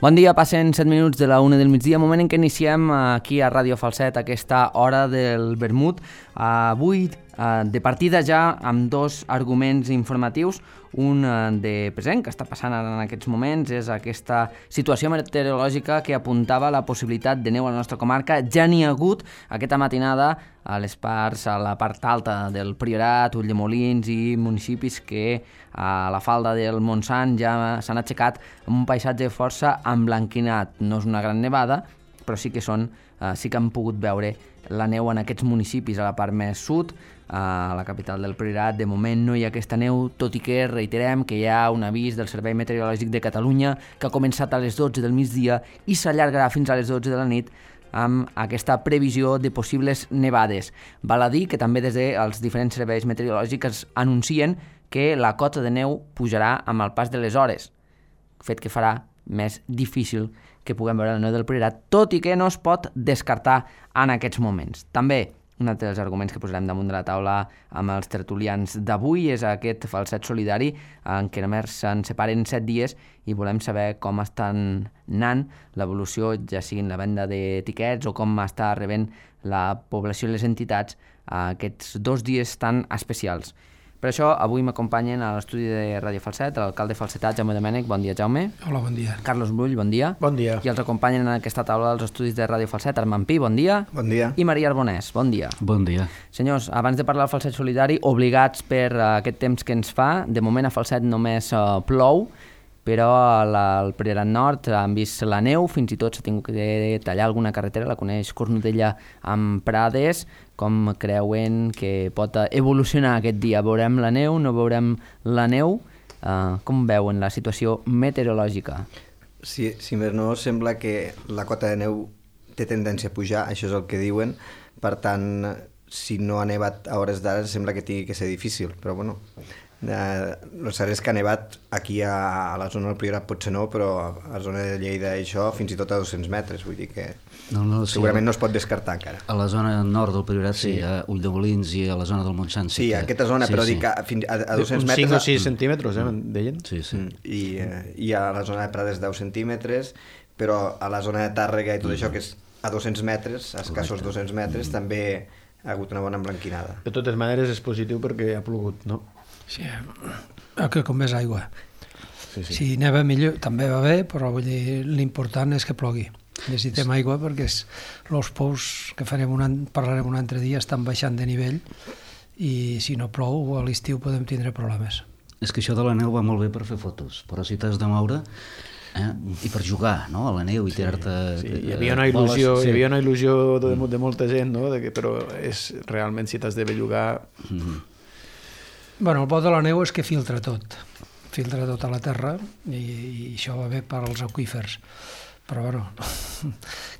Bon dia, passen 7 minuts de la 1 del migdia, moment en què iniciem aquí a Ràdio Falset aquesta hora del vermut. Avui, de partida ja, amb dos arguments informatius. Un de present, que està passant ara en aquests moments, és aquesta situació meteorològica que apuntava la possibilitat de neu a la nostra comarca. Ja n'hi ha hagut aquesta matinada a la part alta del Priorat, Ulldemolins i municipis que a la falda del Montsant ja s'han aixecat amb un paisatge força emblanquinat. No és una gran nevada, però sí que han pogut veure la neu en aquests municipis a la part més sud. A la capital del Priorat de moment no hi ha aquesta neu, tot i que reiterem que hi ha un avís del Servei Meteorològic de Catalunya que ha començat a les 12 del migdia i s'allargarà fins a les 12 de la nit amb aquesta previsió de possibles nevades. Val a dir que també des dels diferents serveis meteorològics anuncien que la cota de neu pujarà amb el pas de les hores, fet que farà més difícil que puguem veure la neu del Priorat, tot i que no es pot descartar en aquests moments. També un altre dels arguments que posarem damunt de la taula amb els tertulians d'avui és aquest falset solidari en què només se'n separen 7 dies i volem saber com estan anant l'evolució, ja sigui en la venda d'etiquets o com està rebent la població i les entitats aquests 2 dies tan especials. Per això, avui m'acompanyen a l'estudi de Ràdio Falset l'alcalde falsetà, Jaume Domènech. Bon dia, Jaume. Hola, bon dia. Carlos Brull, bon dia. Bon dia. I els acompanyen en aquesta taula dels estudis de Ràdio Falset, Armand Pi, bon dia. Bon dia. I Maria Arbonès, bon dia. Bon dia. Senyors, abans de parlar del falset solidari, obligats per aquest temps que ens fa, de moment a Falset només plou, però al Priorat Nord han vist la neu, fins i tot s'ha tingut que tallar alguna carretera, la coneix Cornudella amb Prades. Com creuen que pot evolucionar aquest dia? Veurem la neu, no veurem la neu? Com veuen la situació meteorològica? Si més no, sembla que la cota de neu té tendència a pujar, això és el que diuen, per tant, si no ha nevat a hores d'ara sembla que tingui que ser difícil, però bueno, el cert és que ha nevat aquí a la zona del Priorat potser no, però a la zona de Lleida això fins i tot a 200 metres, vull dir que segurament no es pot descartar encara. A la zona nord del Priorat sí, a Ulldemolins i a la zona del Montsant sí, a aquesta zona, però dic que a 200 metres... 5 o 6 centímetres, deien? Sí. I a la zona de Prades 10 centímetres, però a la zona de Tàrrega i tot això, que és a 200 metres, a escassos 200 metres, també ha hagut una bona emblanquinada. De totes maneres és positiu perquè ha plogut, no? Sí, que com més aigua. Sí. Si neva millor també va bé, però vull dir, l'important és que plogui. Necessitem aigua perquè els pous que parlarem un altre dia estan baixant de nivell i si no plou a l'estiu podem tindre problemes. És que això de la neu va molt bé per fer fotos, però si t'has de moure i per jugar, no?, a la neu i tirar-te... Sí, hi havia una il·lusió de molta gent, no?, però realment si t'has de bellugar... Bueno, el bo de la neu és que filtra tot a la terra i això va bé per als aqüífers, però bueno,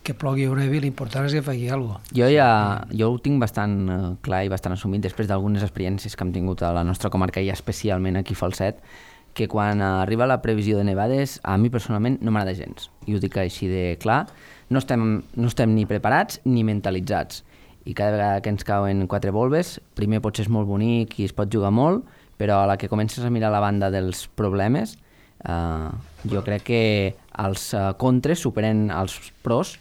que plogui o nevi, l'important és que faci alguna cosa. Jo ho tinc bastant clar i bastant assumit després d'algunes experiències que hem tingut a la nostra comarca i especialment aquí a Falset, que quan arriba la previsió de nevades a mi personalment no m'agrada gens, i ho dic així de clar, no estem ni preparats ni mentalitzats. I cada vegada que ens cauen 4 volves, primer potser és molt bonic i es pot jugar molt, però a la que comences a mirar la banda dels problemes, jo crec que els contres superen els pros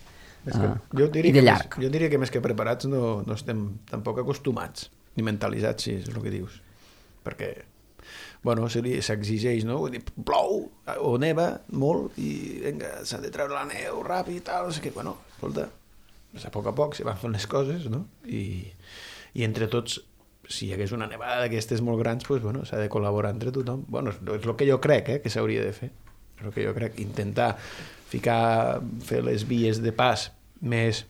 i de llarg. Jo diria que més que preparats no estem tampoc acostumats, ni mentalitzats, si és el que dius. Perquè, bueno, s'exigeix, no? Vull dir, plou o neva molt i vinga, s'ha de treure la neu ràpid i tal, no sé què. Bueno, escolta, a poc se van fent les coses, no? I entre tots, si hi hagués una nevada d'aquestes molt grans, doncs, bueno, s'ha de col·laborar entre tothom. Bueno, és el que jo crec que s'hauria de fer. És el que jo crec. Intentar fer les vies de pas més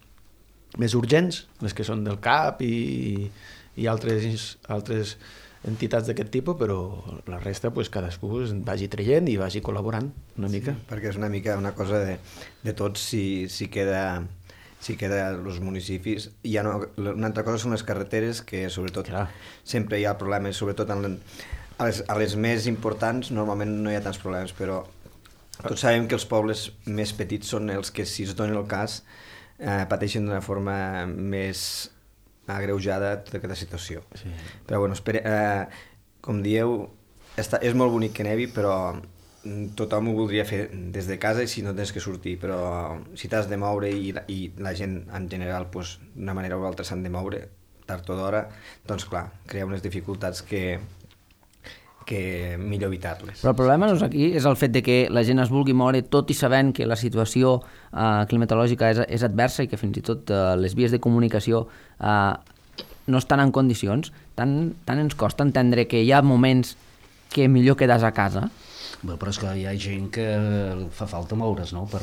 urgents, les que són del CAP i i altres entitats d'aquest tipus, però la resta pues, cadascú vagi traient i vagi col·laborant una mica. Perquè és una mica una cosa de tots si queda els municipis. Una altra cosa són les carreteres, que sobretot sempre hi ha problemes, sobretot a les més importants normalment no hi ha tants problemes, però tots sabem que els pobles més petits són els que, si es dona el cas, pateixen d'una forma més agreujada tota aquesta situació. Sí. Però bueno, com dieu, és molt bonic que nevi, però tothom ho voldria fer des de casa i si no tens que sortir, però si t'has de moure i la gent en general pues, d'una manera o altra s'han de moure tard o d'hora, doncs clar, crea unes dificultats que millor evitar-les. Però el problema no és aquí, és el fet de que la gent es vulgui moure tot i sabent que la situació climatològica és adversa i que fins i tot les vies de comunicació no estan en condicions. Tant ens costa entendre que hi ha moments que millor quedes a casa. Bé, però és que hi ha gent que fa falta moure's, no?, per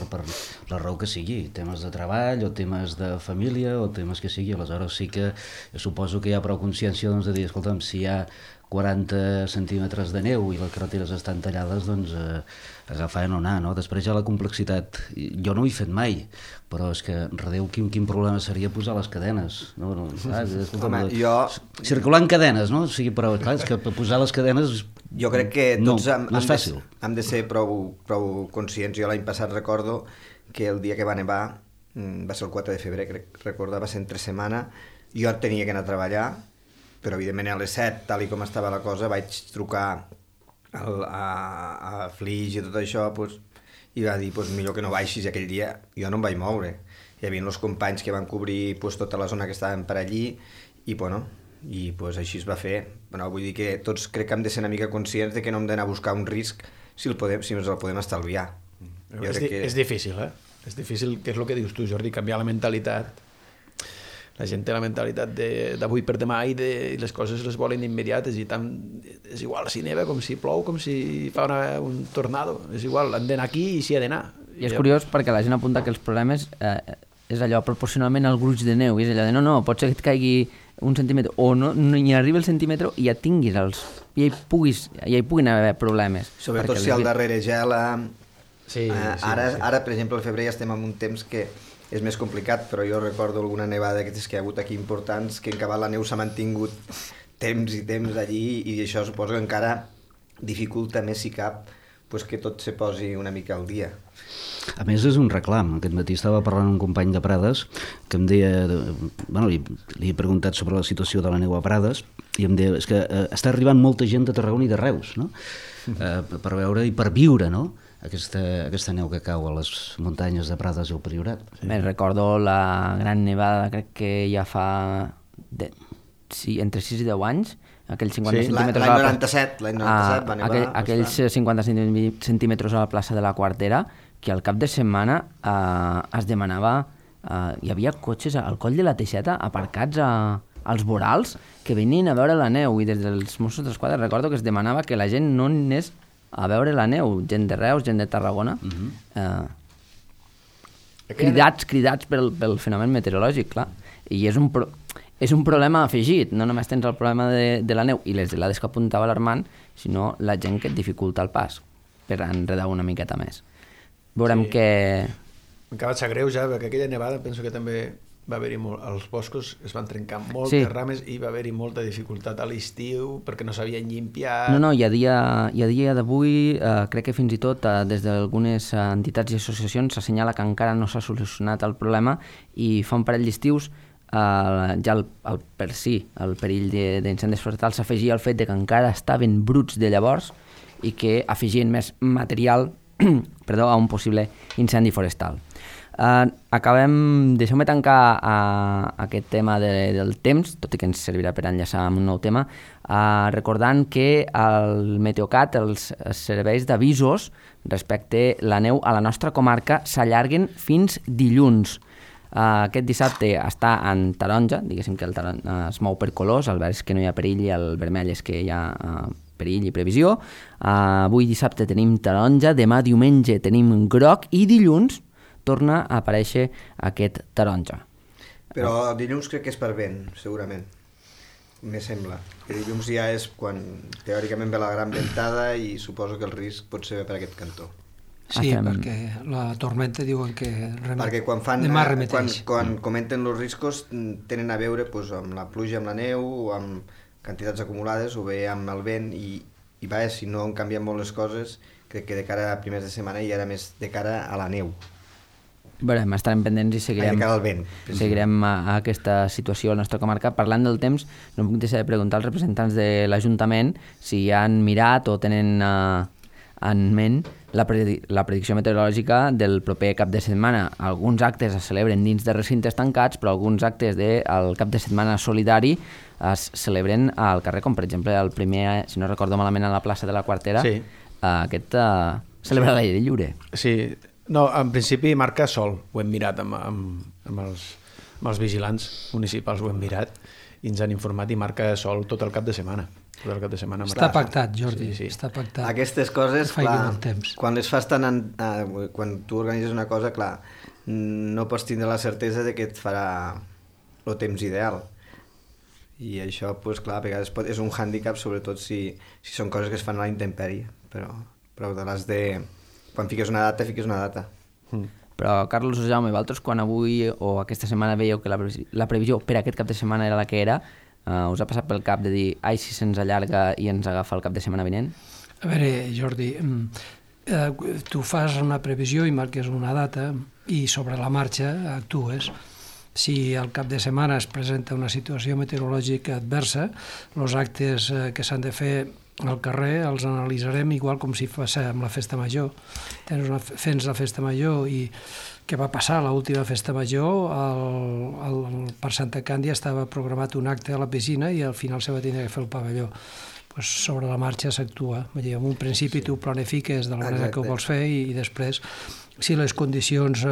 la raó que sigui, temes de treball o temes de família o temes que sigui. Aleshores sí que suposo que hi ha prou consciència de dir, escolta'm, si hi ha 40 centímetres de neu i les carreteres estan tallades, doncs agafar i no anar, no? Després hi ha la complexitat. Jo no ho he fet mai, però és que, redeu, quin problema seria posar les cadenes, no? Home, circular en cadenes, no? O sigui, però clar, és que posar les cadenes... Jo crec que tots no és fàcil. Hem de ser prou conscients. Jo l'any passat recordo que el dia que va nevar, va ser el 4 de febrer, va ser entre setmana, jo tenia que anar a treballar, però evidentment a les 7, tal i com estava la cosa, vaig trucar a Flix i tot això, pues, i va dir, pues, millor que no baixis. Aquell dia jo no em vaig moure. Hi havia els companys que van cobrir pues, tota la zona que estaven per allí i pues, així es va fer. Bueno, vull dir que tots crec que hem de ser una mica conscients de que no hem d'anar a buscar un risc si ens el podem estalviar. És difícil, És difícil, que és el que dius tu, Jordi, canviar la mentalitat. La gent té la mentalitat d'avui per demà i les coses les volen immediates i tant, és igual si neva com si plou, com si fa un tornado, és igual, han d'anar aquí i s'hi ha d'anar. I és curiós perquè la gent apunta que els problemes és allò proporcionalment al gruix de neu, i és allò de no, pot ser que et caigui un centímetre o no hi arribi el centímetre i ja tinguis ja hi puguin haver problemes. Sobretot si al darrere gela. Ara, per exemple, al febrer ja estem en un temps que és més complicat, però jo recordo alguna nevada que hi ha hagut aquí importants, que en acabat la neu s'ha mantingut temps i temps allí, i això suposo que encara dificulta més si cap pues, que tot se posi una mica al dia. A més, és un reclam. Aquest matí estava parlant amb un company de Prades que em deia... Bueno, li he preguntat sobre la situació de la neu a Prades i em deia, és que està arribant molta gent de Tarragona i de Reus, no? Per veure i per viure, no?, aquesta neu que cau a les muntanyes de Prades i el Priorat. Me'n recordo la gran nevada, crec que ja fa entre 6 i 10 anys, aquells 50 centímetres... L'any 97 va nevar. Aquells 50 centímetres a la plaça de la Quartera, que al cap de setmana es demanava... hi havia cotxes al coll de la Teixeta aparcats als vorals que venien a veure la neu, i des dels Mossos d'Esquadra recordo que es demanava que la gent no anés a veure la neu, gent de Reus, gent de Tarragona, cridats pel fenomen meteorològic, clar. I és un problema afegit, no només tens el problema de la neu i les gelades que apuntava l'Armand, sinó la gent que et dificulta el pas per enredar una miqueta més. Veurem que... Encara et sap greu ja, perquè aquella nevada penso que també va haver-hi els boscos es van trencar moltes rames i va haver-hi molta dificultat a l'estiu perquè no sabien llimpiar. No, i a dia d'avui crec que fins i tot des d'algunes entitats i associacions s'assenyala que encara no s'ha solucionat el problema i fa un parell d'estius ja el perill d'incendis forestals s'afegia al fet de que encara estaven bruts de llavors i que afegien més material a un possible incendi forestal. Deixeu-me tancar aquest tema del temps, tot i que ens servirà per enllaçar amb un nou tema, recordant que el Meteocat, els serveis d'avisos respecte la neu a la nostra comarca s'allarguen fins dilluns. Aquest dissabte està en taronja, diguéssim que el taronja es mou per colors, el verd és que no hi ha perill i el vermell és que hi ha perill i previsió. Avui dissabte tenim taronja, demà diumenge tenim groc i dilluns torna a aparèixer aquest taronja. Però dilluns crec que és per vent, segurament. me sembla. Que dilluns ja és quan teòricament ve la gran ventada i suposo que el risc pot ser per aquest cantó. Sí, perquè la tormenta diuen que perquè demà remeteix. Quan comenten els riscos tenen a veure pues, amb la pluja, amb la neu, o amb quantitats acumulades, o bé amb el vent, i vaja, si no han canviat molt les coses, crec que de cara a primers de setmana i ara més de cara a la neu. Veurem, estarem pendents i seguirem, seguirem a aquesta situació a la nostra comarca. Parlant del temps, no em puc deixar de preguntar als representants de l'Ajuntament si han mirat o tenen en ment la predicció meteorològica del proper cap de setmana. Alguns actes es celebren dins de recintes tancats, però alguns actes del cap de setmana solidari es celebren al carrer, com per exemple el primer, si no recordo malament, a la plaça de la Quartera, sí. Aquest celebra l'aire lliure. Sí. No, en principi marca sol, ho hem mirat amb els vigilants municipals, ho hem mirat i ens han informat i marca sol tot el cap de setmana. Està pactat, Jordi, sí. Està pactat. Aquestes coses, clar, quan les fas quan tu organitzes una cosa, clar, no pots tindre la certesa de que et farà el temps ideal. I això, pues, clar, a vegades és un hàndicap, sobretot si són coses que es fan a la intempèrie, però de les de... Quan fiques una data, fiques una data. Però, Carlos o Jaume, vosaltres quan avui o aquesta setmana veieu que la previsió per aquest cap de setmana era la que era, us ha passat pel cap de dir ai, si se'ns allarga i ens agafa el cap de setmana vinent? A veure, Jordi, tu fas una previsió i marques una data i sobre la marxa actues. Si al cap de setmana es presenta una situació meteorològica adversa, els actes que s'han de fer al carrer els analitzarem igual com si féssim la festa major. Fent la festa major i què va passar a l'última festa major, per Santa Càndia estava programat un acte a la piscina i al final se va tindre que fer el pavelló. Pues sobre la marxa s'actua. En un principi tu planifiques de la manera que ho vols fer i després, si les condicions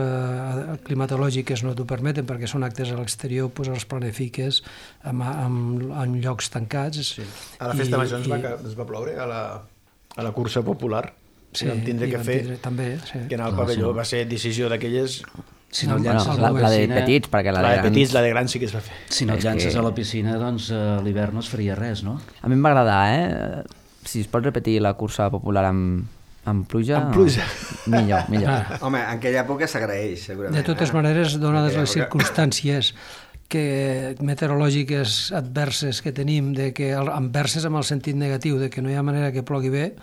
climatològiques no t'ho permeten perquè són actes a l'exterior, doncs els planifiques en llocs tancats. Sí. A la festa major ens va ploure a la cursa popular. Sí, vam tindre que fer també, sí. Que anar al pavelló va ser decisió d'aquelles... Si no llances la de petits, perquè la de petits, la de grans sí que es va fer. Si no llances a la piscina, doncs a l'hivern no es faria res, no? A mi em va agradar, si es pot repetir la cursa popular amb pluja... Amb pluja. Millor. Home, en aquella època s'agraeix, segurament. De totes maneres, donades les circumstàncies meteorològiques adverses que tenim, adverses amb el sentit negatiu, de que no hi ha manera que plogui bé,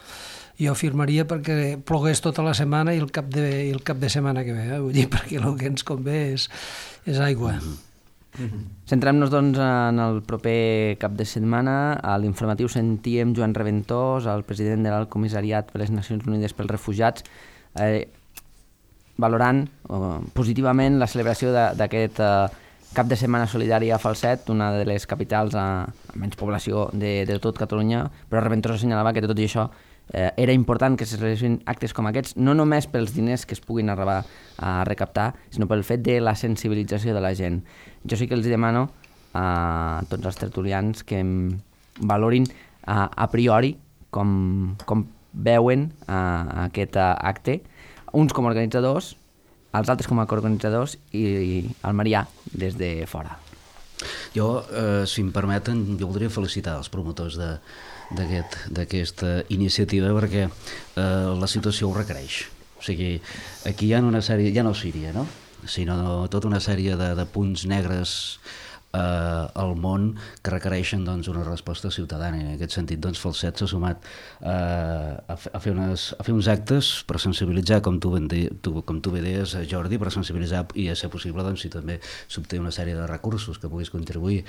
jo afirmaria perquè plogués tota la setmana i el cap de setmana que ve, vull dir, perquè el que ens convé és aigua. Centrem-nos, doncs, en el proper cap de setmana. A l'informatiu sentíem Joan Reventós, el president de l'Alt Comissariat per les Nacions Unides pels Refugiats, valorant positivament la celebració d'aquest cap de setmana solidari a Falset, una de les capitals amb menys població de tot Catalunya, però Reventós assenyalava que tot i això era important que se realitzin actes com aquests, no només pels diners que es puguin arribar a recaptar, sinó pel fet de la sensibilització de la gent. Jo sí que els demano a tots els tertulians que valorin a priori com veuen aquest acte, uns com a organitzadors, els altres com a coorganitzadors i el Marià des de fora. Jo, si em permeten, jo voldria felicitar els promotors d'aquesta iniciativa perquè la situació ho requereix. O sigui, aquí hi ha una sèrie, ja no Síria, no? Sinó tota una sèrie de punts negres al món que requereixen doncs, una resposta ciutadana. En aquest sentit, doncs, Falset s'ha sumat a fer uns actes per sensibilitzar, com tu bé deies, Jordi, per sensibilitzar i a ser possible doncs, si també s'obté una sèrie de recursos que puguis contribuir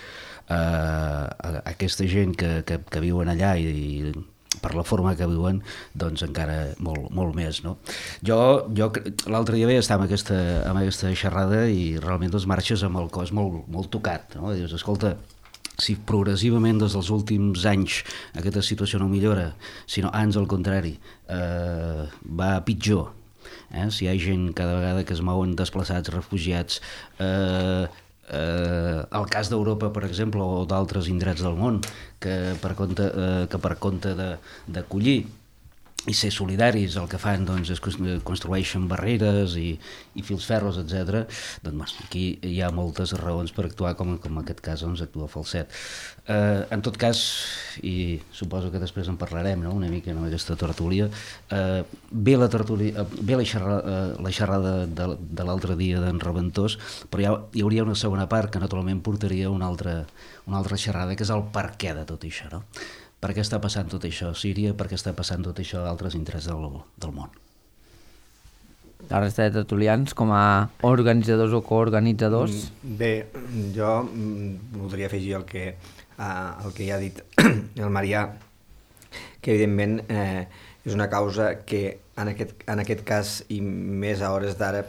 a aquesta gent que viuen allà i per la forma que viuen, doncs encara molt més, no? Jo l'altre dia estava amb aquesta xerrada i realment doncs marxes amb el cos molt tocat, no? Dius, escolta, si progressivament des dels últims anys aquesta situació no millora, sinó ans al contrari, va pitjor, si hi ha gent cada vegada que es mouen desplaçats, refugiats, el cas d'Europa, per exemple, o d'altres indrets del món que per compte d'acollir i ser solidaris, el que fan doncs, és construeixen barreres i fils ferros, etc. Doncs aquí hi ha moltes raons per actuar com en aquest cas doncs, actua Falset. En tot cas, i suposo que després en parlarem, no? Una mica en aquesta tertúlia, ve la xerrada de l'altre dia d'en Reventós, però hi hauria una segona part que naturalment portaria una altra xerrada, que és el per què de tot això, no? Per què està passant tot això a Síria, per què està passant tot això a altres indrets del món. La resta de tertulians, com a organitzadors o coorganitzadors? Bé, jo voldria afegir el que ja ha dit el Marià, que evidentment és una causa que en aquest cas i més a hores d'ara,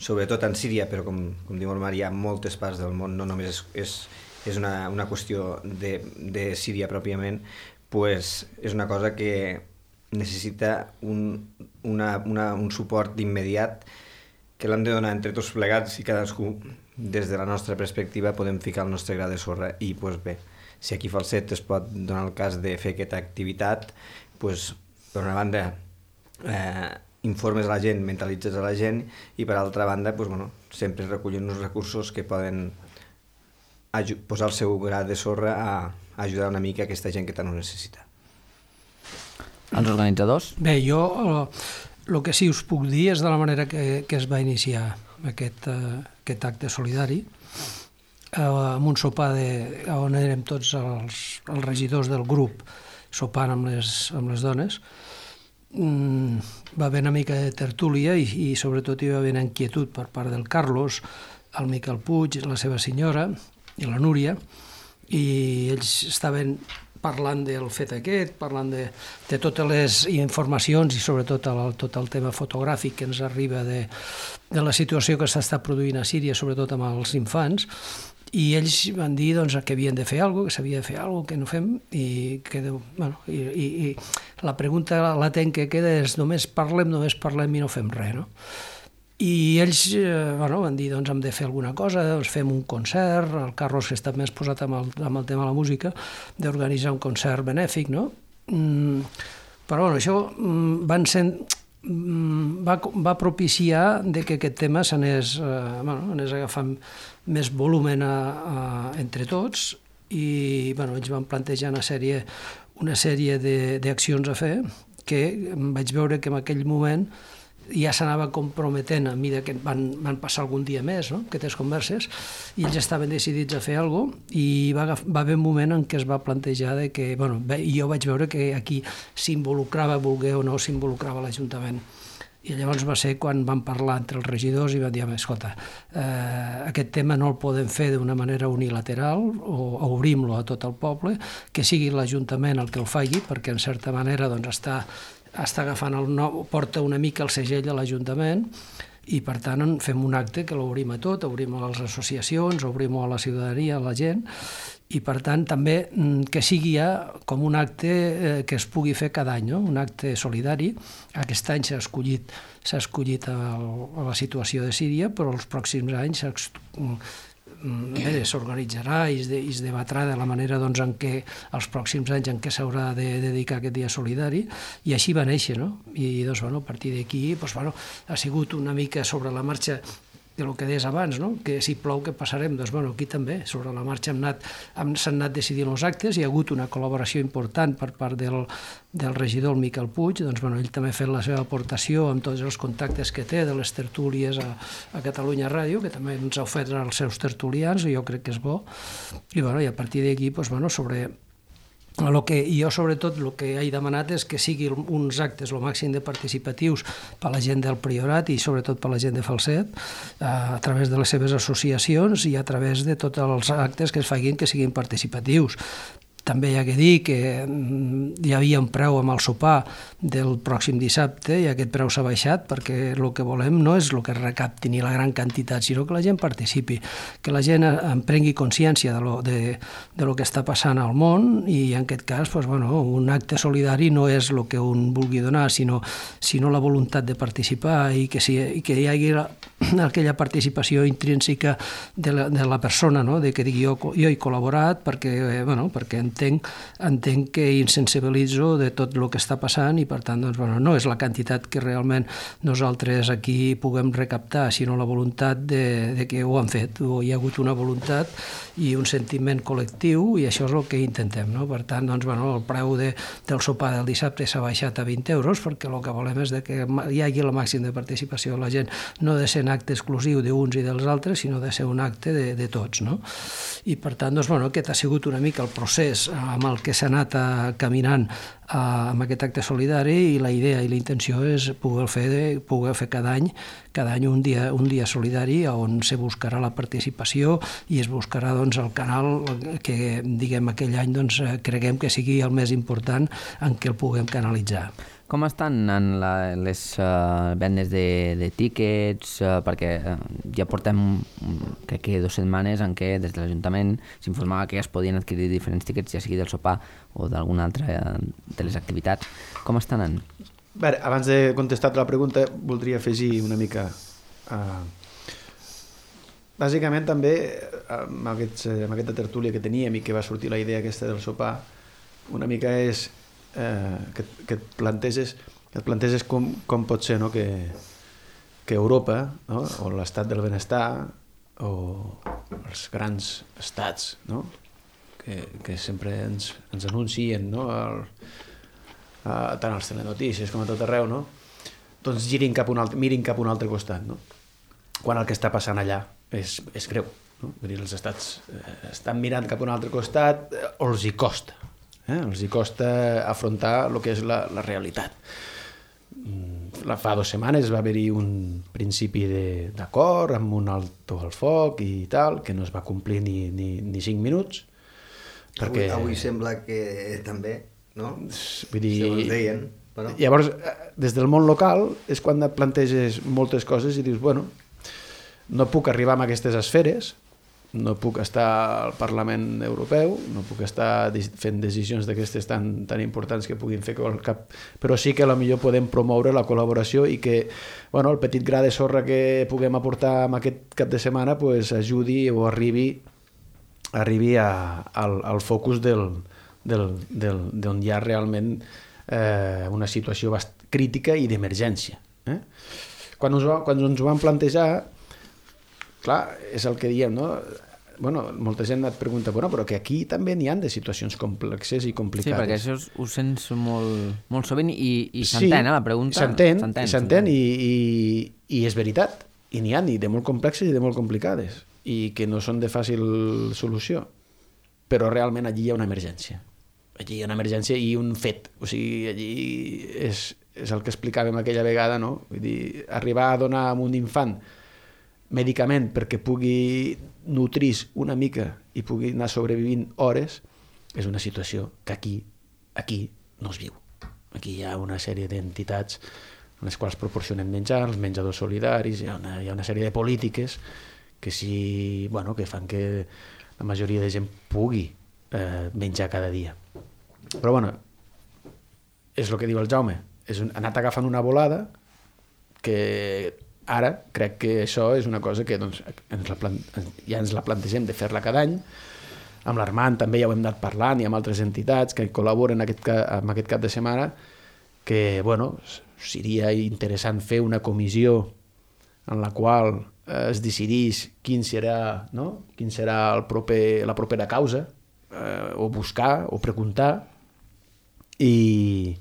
sobretot en Síria, però com diu el Marià, en moltes parts del món, no només és una qüestió de Síria pròpiament, és una cosa que necessita un suport d'immediat que l'hem de donar entre tots plegats i cadascú, des de la nostra perspectiva, podem ficar el nostre gra de sorra. I bé, si aquí Falset es pot donar el cas de fer aquesta activitat, per una banda informes a la gent, mentalitzes a la gent, i per altra banda sempre recollim uns recursos que poden posar el seu gra de sorra a ajudar una mica aquesta gent que tant ho necessita. Els organitzadors? Bé, jo el que sí us puc dir és de la manera que es va iniciar aquest acte solidari, amb un sopar on érem tots els regidors del grup sopant amb les dones. Va haver una mica de tertúlia i sobretot hi va haver inquietud per part del Carlos, el Miquel Puig, la seva senyora i la Núria, i ells estaven parlant del fet aquest, parlant de totes les informacions i sobretot tot el tema fotogràfic que ens arriba de la situació que s'està produint a Síria, sobretot amb els infants, i ells van dir que havien de fer alguna cosa, que s'havia de fer alguna cosa, que no fem, i la pregunta latent que queda és només parlem i no fem res, no? I ells van dir, hem de fer alguna cosa, fem un concert, el Carlos, que està més posat amb el tema de la música, d'organitzar un concert benèfic, no? Però això va propiciar que aquest tema s'anés agafant més volumen entre tots, i ells van plantejar una sèrie d'accions a fer que vaig veure que en aquell moment ja s'anava comprometent a mesura que van passar algun dia més, no? Aquestes converses, i ells estaven decidits a fer alguna cosa, i va haver un moment en què es va plantejar que, jo vaig veure que aquí s'involucrava, volgué o no, s'involucrava l'Ajuntament. I llavors va ser quan van parlar entre els regidors i van dir, escolta, aquest tema no el podem fer d'una manera unilateral, o obrim-lo a tot el poble, que sigui l'Ajuntament el que el faci, perquè en certa manera està agafant porta una mica el segell a l'Ajuntament, i per tant fem un acte que l'obrim a tot, obrim a les associacions, obrim a la ciutadania, a la gent, i per tant també que sigui ja com un acte que es pugui fer cada any, no? Un acte solidari. Aquest any s'ha escollit a la situació de Síria, però els pròxims anys s'organitzarà i es debatrà de la manera en què els pròxims anys en què s'haurà de dedicar aquest dia solidari, i així va néixer, no? I a partir d'aquí ha sigut una mica sobre la marxa del que deies abans, no? Que si plou què passarem? Aquí també, sobre la marxa s'han anat decidint els actes, hi ha hagut una col·laboració important per part del regidor Miquel Puig, ell també ha fet la seva aportació amb tots els contactes que té de les tertúlies a Catalunya Ràdio, que també ens ha ofert als seus tertulians, i jo crec que és bo, i a partir d'aquí, sobre jo sobretot el que he demanat és que siguin uns actes el màxim de participatius per a la gent del Priorat i sobretot per a la gent de Falset, a través de les seves associacions i a través de tots els actes que es facin que siguin participatius. També hi ha que dir que hi havia un preu amb el sopar del pròxim dissabte i aquest preu s'ha baixat perquè el que volem no és el que recapti ni la gran quantitat, sinó que la gent participi, que la gent en prengui consciència de lo que està passant al món, i en aquest cas un acte solidari no és el que un vulgui donar, sinó la voluntat de participar i que hi hagi aquella participació intrínseca de la persona, no? De que digui jo he col·laborat perquè en entenc que insensibilitzo de tot el que està passant i, per tant, doncs, bueno, no és la quantitat que realment nosaltres aquí puguem recaptar, sinó la voluntat de que ho han fet. Hi ha hagut una voluntat i un sentiment col·lectiu i això és el que intentem, no? Per tant, doncs, bueno, el preu del sopar del dissabte s'ha baixat a 20 euros perquè el que volem és que hi hagi el màxim de participació de la gent, no de ser un acte exclusiu d'uns i dels altres, sinó de ser un acte de tots, no? I per tant, doncs, bueno, aquest ha sigut una mica el procés amb el que s'ha anat caminant amb aquest acte solidari i la idea i la intenció és poder fer cada any un dia solidari on se buscarà la participació i es buscarà doncs, el canal que diguem aquell any doncs, creguem que sigui el més important en què el puguem canalitzar. Com estan anant les vendes de tíquets? Perquè ja portem, crec que 2 setmanes en què des de l'Ajuntament s'informava que ja es podien adquirir diferents tíquets, ja sigui del sopar o d'alguna altra de les activitats. Com estan anant? Bé, abans de contestar la pregunta, voldria afegir una mica... Bàsicament també, amb aquesta tertúlia que teníem i que va sortir la idea aquesta del sopar, una mica és... que et planteges com pot ser, no? que Europa, no? O l'estat del benestar o els grans estats, no? que sempre ens anuncien, no? Tant als telenotícies com a tot arreu, no? Doncs mirin cap a un altre costat, no? Quan el que està passant allà és greu, no? Vull dir, els estats estan mirant cap a un altre costat o els hi costa. Els hi costa afrontar el que és la realitat. Fa 2 setmanes va haver-hi un principi d'acord amb un alto al foc i tal, que no es va complir ni 5 minuts. Perquè... Avui sembla que també, no? Vull dir... Segons deien. Però... Llavors, des del món local és quan et planteges moltes coses i dius, bueno, no puc arribar a aquestes esferes, no puc estar al Parlament Europeu, no puc estar fent decisions d'aquestes tan importants que puguin fer cap... Però sí que potser podem promoure la col·laboració i que el petit gra de sorra que puguem aportar en aquest cap de setmana pues, ajudi o arribi al focus d'on hi ha realment una situació crítica i d'emergència. Quan ens ho vam plantejar, clar, és el que diem, no? Molta gent et pregunta, però que aquí també n'hi ha de situacions complexes i complicades. Sí, perquè això ho sents molt sovint i s'entén, la pregunta. S'entén i és veritat. I n'hi ha de molt complexes i de molt complicades i que no són de fàcil solució. Però realment allí hi ha una emergència. Allí hi ha una emergència i un fet. O sigui, allí és el que explicàvem aquella vegada, no? Vull dir, arribar a donar a un infant medicament perquè pugui nutrir una mica i pugui anar sobrevivint hores és una situació que aquí no es viu. Aquí hi ha una sèrie d'entitats en les quals proporcionem menjar, els menjadors solidaris, hi ha una sèrie de polítiques que que fan que la majoria de gent pugui menjar cada dia. Però és el que diu el Jaume, és anat agafant una volada que ara crec que això és una cosa que ja ens la plantegem de fer-la cada any. Amb l'Armand també ja ho hem anat parlant i amb altres entitats que col·laboren en aquest cap de setmana que seria interessant fer una comissió en la qual es decidís quin serà la propera causa o buscar o preguntar i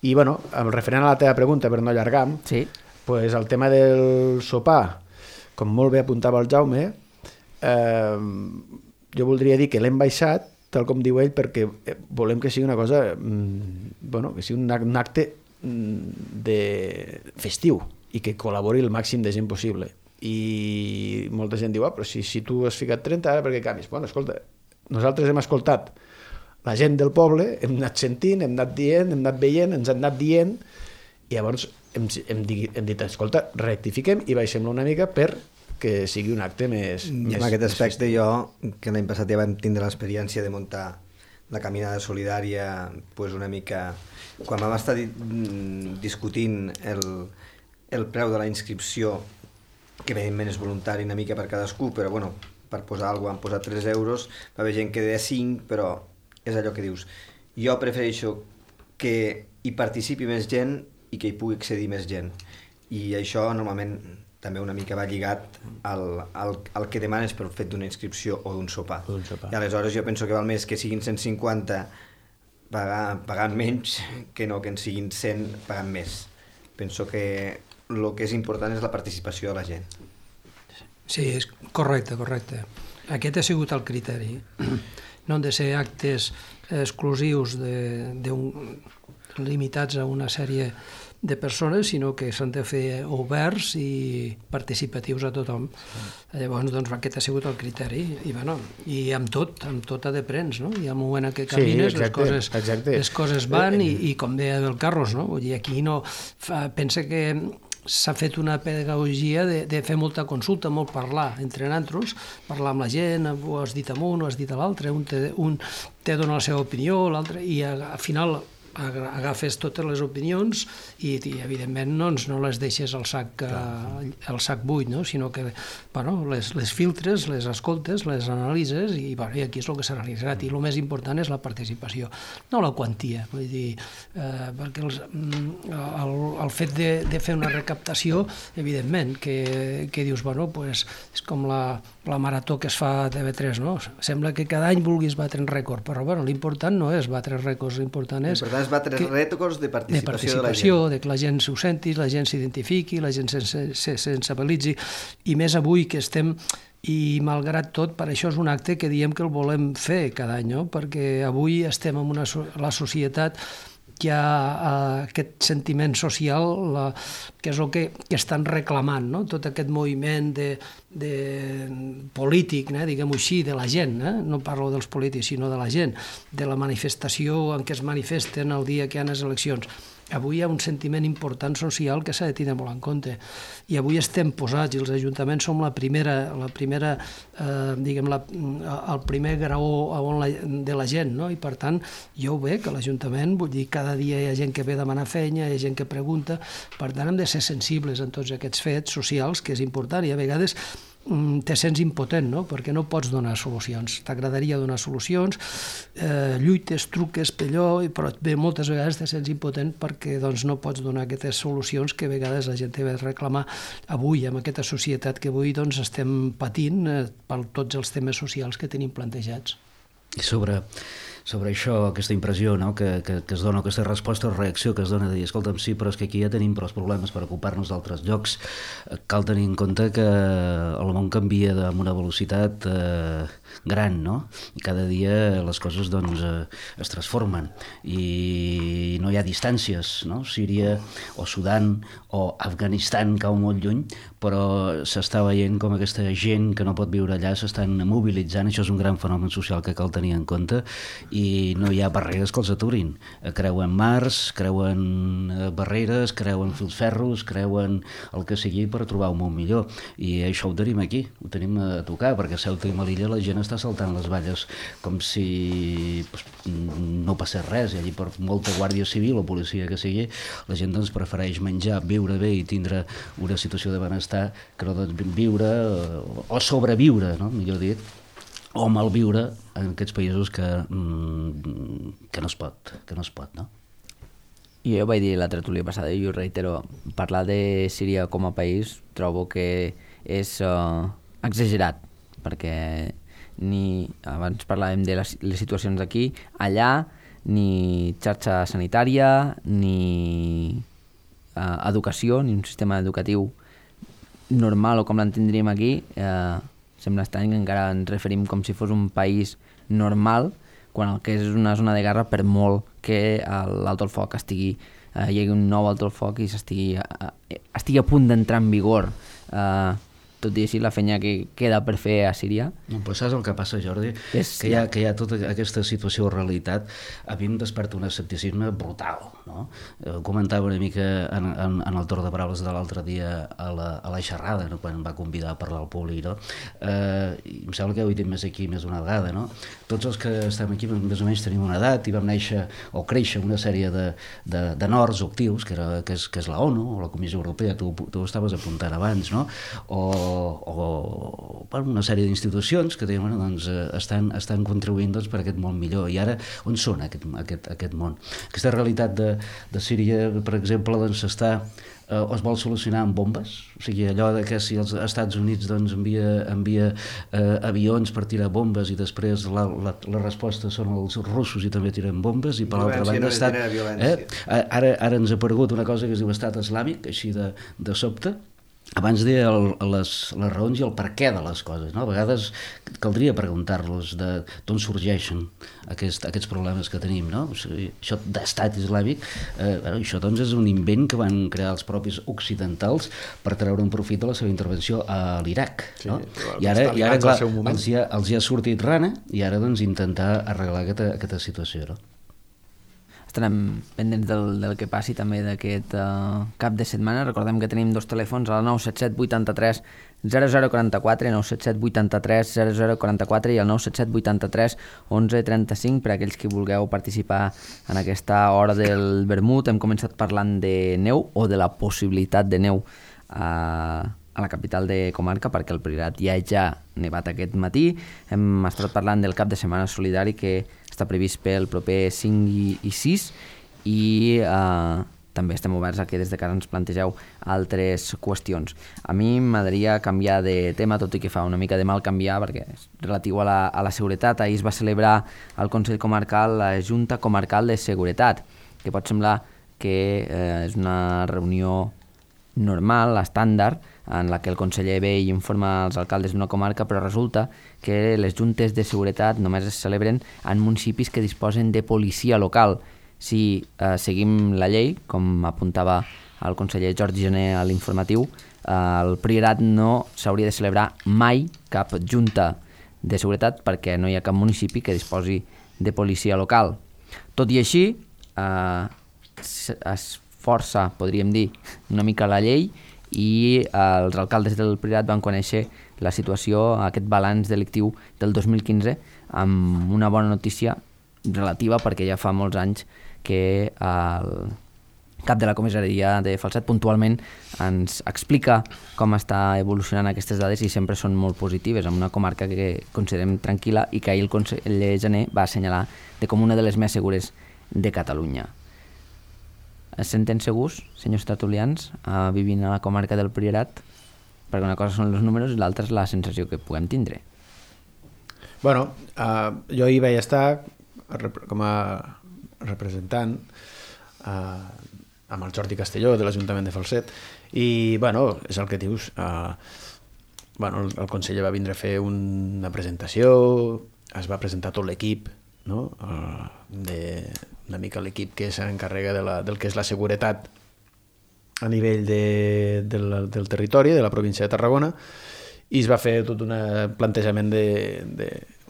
referent a la teva pregunta per no allargar-me, sí. Pues el tema del sopar, com molt bé apuntava el Jaume, jo voldria dir que l'hem baixat, tal com diu ell, perquè volem que sigui una cosa, que sigui un acte festiu i que col·labori el màxim de gent possible. I molta gent diu, però si tu has ficat 30, ara per què canvis? Escolta, nosaltres hem escoltat la gent del poble, hem anat sentint, hem anat dient, hem anat veient, ens han anat dient, i llavors hem dit, escolta, rectifiquem i baixem-lo una mica perquè sigui un acte més... I en aquest aspecte jo, que l'any passat ja vam tindre l'experiència de muntar la caminada solidària, pues una mica... Quan vam estar discutint el preu de la inscripció, que evidentment és voluntari una mica per cadascú, però per posar alguna cosa han posat 3 euros, va haver gent que deia 5, però és allò que dius. Jo prefereixo que hi participi més gent i que hi pugui accedir més gent. I això normalment també una mica va lligat al que demanes pel fet d'una inscripció o d'un sopar. I aleshores jo penso que val més que siguin 150 pagant menys que no que en siguin 100 pagant més. Penso que el que és important és la participació de la gent. Sí, és correcte. Aquest ha sigut el criteri. No han de ser actes exclusius limitats a una sèrie de persones, sinó que s'han de fer oberts i participatius a tothom. Llavors, doncs, aquest ha sigut el criteri. I amb tot ha de prens, no? I al moment en què camines, les coses van i com deia el Carlos, no? Vull dir, aquí no... Pensa que s'ha fet una pedagogia de fer molta consulta, molt parlar entre nosaltres, parlar amb la gent, ho has dit amb un, ho has dit a l'altre, un te dona la seva opinió, l'altre, i al final agafes totes les opinions i evidentment no les deixes al sac buit, no? Sinó que les filtres, les escoltes, les analitzes i aquí és el que s'ha realitzat. I el més important és la participació, no la quantia. Vull dir, perquè el fet de fer una recaptació, evidentment, que dius, és com la marató que es fa a TV3, no? Sembla que cada any vulguis batre un rècord, però l'important no és batre rècords, l'important és batre rècords de participació de la gent. De que la gent s'ho senti, la gent s'identifiqui, la gent se sensibilitzi, i més avui que estem, i malgrat tot, per això és un acte que diem que el volem fer cada any, no? Perquè avui estem en la societat, hi ha aquest sentiment social que és el que estan reclamant, no? Tot aquest moviment polític, diguem-ho així, de la gent, no parlo dels polítics, sinó de la gent, de la manifestació en què es manifesten el dia que hi ha les eleccions. Avui hi ha un sentiment important social que s'ha de tenir molt en compte. I avui estem posats, i els ajuntaments som el primer graó de la gent, no? I per tant, jo ho veig, que l'Ajuntament, vull dir, cada dia hi ha gent que ve a demanar feina, hi ha gent que pregunta, per tant hem de ser sensibles en tots aquests fets socials, que és important, i a vegades te sents impotent, no? Perquè no pots donar solucions. T'agradaria donar solucions, lluites, truques, però moltes vegades te sents impotent perquè no pots donar aquestes solucions que a vegades la gent té de reclamar avui, amb aquesta societat que avui estem patint per tots els temes socials que tenim plantejats. I sobre això, aquesta impressió, no? que es dona, aquesta resposta o reacció que es dona de dir, escolta'm, sí, però és que aquí ja tenim prou problemes per ocupar-nos d'altres llocs. Cal tenir en compte que el món canvia amb una velocitat gran, no? I cada dia les coses es transformen i no hi ha distàncies, no? Síria o Sudan o Afganistan cau molt lluny, però s'està veient com aquesta gent que no pot viure allà s'estan mobilitzant. Això és un gran fenomen social que cal tenir en compte i no hi ha barreres que els aturin. Creuen mars, creuen barreres, creuen filferros, creuen el que sigui per trobar un món millor. I això ho tenim aquí, ho tenim a tocar, perquè a Ceuta i Melilla la gent està saltant les valles com si no passés res, i allí per molta guàrdia civil o policia que sigui, la gent prefereix menjar, viure bé i tindre una situació de benestar que no viure o sobreviure, no? Millor dit, o malviure en aquests països que no es pot, no? I jo vaig dir la tertúlia passada, i ho reitero, parlar de Síria com a país trobo que és exagerat, perquè abans parlàvem de les situacions d'aquí, allà ni xarxa sanitària, ni educació, ni un sistema educatiu normal o com l'entendríem aquí. Sembla estrany que encara ens referim com si fos un país normal, quan el que és una zona de guerra, per molt que l'alto el foc hi hagi un nou alto el foc i estigui a punt d'entrar en vigor. Tot i així, la feina que queda per fer a Síria. No, però saps el que passa, Jordi? Que hi ha tota aquesta situació o realitat. A mi em desperta un escepticisme brutal, no? Comentava una mica en el torn de paraules de l'altre dia a la xerrada, no? Quan em va convidar a parlar al públic, no? I em sembla que ho he dit més aquí més d'una vegada, no? Tots els que estem aquí més o menys tenim una edat i vam néixer o créixer una sèrie de nords o actius, que és la ONU o la Comissió Europea, tu estaves apuntant abans, no? O bueno, una sèrie d'institucions que diuen, doncs, estan contribuint doncs, per aquest món millor. I ara, on són aquest món? Aquesta realitat de Síria, per exemple, doncs, es vol solucionar amb bombes, o sigui, allò de que si els Estats Units doncs, envia avions per tirar bombes i després la resposta són els russos i també tiren bombes, i per l'altra banda ara ens ha aparegut una cosa que es diu Estat Islàmic, així de sobte. Abans deia les raons i el per què de les coses, no? A vegades caldria preguntar-los d'on sorgeixen aquests problemes que tenim, no? O sigui, això d'estat islàmic, això doncs és un invent que van crear els propis occidentals per treure un profit de la seva intervenció a l'Iraq, no? I ara clar, els hi ha sortit rana, i ara doncs intentar arreglar aquesta situació, no? Estarem pendents del que passi també d'aquest cap de setmana. Recordem que tenim dos telèfons, el 977 83 0044, 977 83 0044 i el 977 83 11 35 per a aquells que vulgueu participar en aquesta hora del vermut. Hem començat parlant de neu o de la possibilitat de neu a la capital de comarca, perquè el Priorat ja nevat aquest matí. Hem estat parlant del cap de setmana solidari que està previst pel proper 5 i 6 i també estem oberts a que des de casa ens plantegeu altres qüestions. A mi m'agradaria canviar de tema, tot i que fa una mica de mal canviar, perquè és relatiu a la seguretat. Ahir es va celebrar al Consell Comarcal la Junta Comarcal de Seguretat, que pot semblar que és una reunió normal, estàndard, en la que el conseller ve i informa als alcaldes d'una comarca, però resulta que les juntes de seguretat només es celebren en municipis que disposen de policia local. Si seguim la llei, com apuntava el conseller Jordi Gené a l'informatiu, el Priorat no s'hauria de celebrar mai cap junta de seguretat perquè no hi ha cap municipi que disposi de policia local. Tot i així, es força, podríem dir, una mica la llei, i els alcaldes del Priorat van conèixer la situació, aquest balanç delictiu del 2015, amb una bona notícia relativa, perquè ja fa molts anys que el cap de la comissaria de Falset puntualment ens explica com està evolucionant aquestes dades i sempre són molt positives, en una comarca que considerem tranquil·la i que ahir el conseller Gené va assenyalar com una de les més segures de Catalunya. Es senten segurs, senyors tertulians, vivint a la comarca del Priorat? Perquè una cosa són els números i l'altra és la sensació que puguem tindre. Bueno, jo hi vaig estar com a representant amb el Jordi Castelló de l'Ajuntament de Falset i, bueno, és el que dius. El conseller va vindre a fer una presentació, es va presentar tot l'equip, no? Una mica l'equip que s'encarrega del que és la seguretat a nivell del territori, de la província de Tarragona, i es va fer tot un plantejament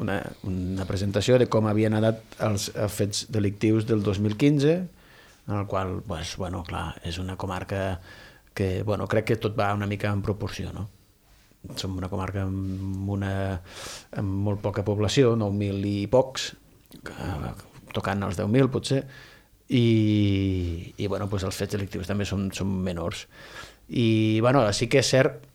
una presentació de com havien anat els fets delictius del 2015, en el qual, clar, és una comarca que, crec que tot va una mica en proporció, no? Som una comarca amb molt poca població, 9.000 i pocs, tocant els 10.000 potser, i els fets delictius també són menors. I sí que és cert